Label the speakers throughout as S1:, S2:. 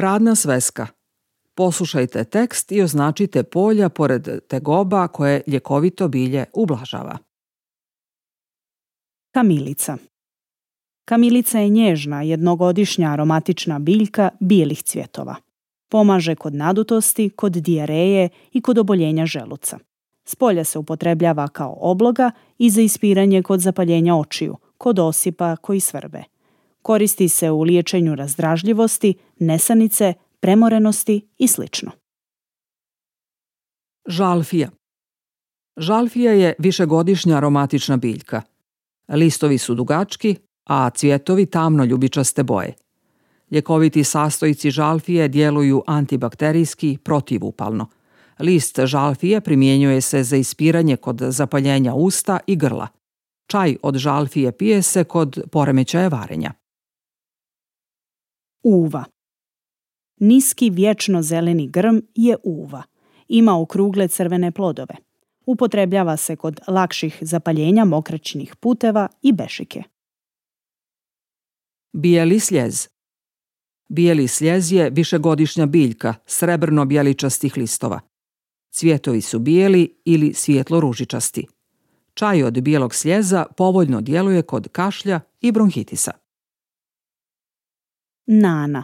S1: Radna sveska. Poslušajte tekst i označite polja pored tegoba koje ljekovito bilje ublažava.
S2: Kamilica. Kamilica je nježna, jednogodišnja aromatična biljka bijelih cvjetova. Pomaže kod nadutosti, kod dijareje i kod oboljenja želuca. Spolja se upotrebljava kao obloga i za ispiranje kod zapaljenja očiju, kod osipa koji svrbe. Koristi se u liječenju razdražljivosti, nesanice, premorenosti i sl.
S1: Žalfija. Žalfija je višegodišnja aromatična biljka. Listovi su dugački, a cvjetovi tamno ljubičaste boje. Ljekoviti sastojci žalfije djeluju antibakterijski, protivupalno. List žalfije primjenjuje se za ispiranje kod zapaljenja usta i grla. Čaj od žalfije pije se kod poremećaja varenja.
S2: Uva. Niski vječno zeleni grm je uva. Ima okrugle crvene plodove. Upotrebljava se kod lakših zapaljenja mokraćnih puteva i bešike.
S1: Bijeli sljez. Bijeli sljez je višegodišnja biljka srebrno-bjeličastih listova. Cvjetovi su bijeli ili svijetlo-ružičasti. Čaj od bijelog sljeza povoljno djeluje kod kašlja i bronhitisa.
S2: Nana.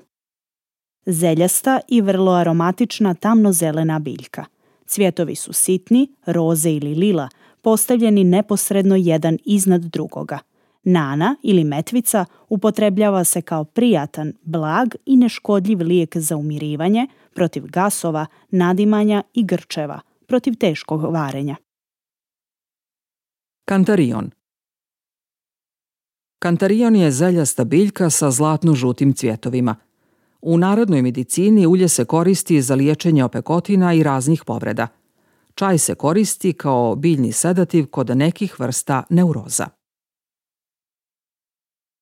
S2: Zeljasta i vrlo aromatična tamnozelena biljka. Cvjetovi su sitni, roze ili lila, postavljeni neposredno jedan iznad drugoga. Nana ili metvica upotrebljava se kao prijatan, blag i neškodljiv lijek za umirivanje, protiv gasova, nadimanja i grčeva, protiv teškog varenja.
S1: Kantarion. Kantarion je zeljasta biljka sa zlatno-žutim cvjetovima. U narodnoj medicini ulje se koristi za liječenje opekotina i raznih povreda. Čaj se koristi kao biljni sedativ kod nekih vrsta neuroza.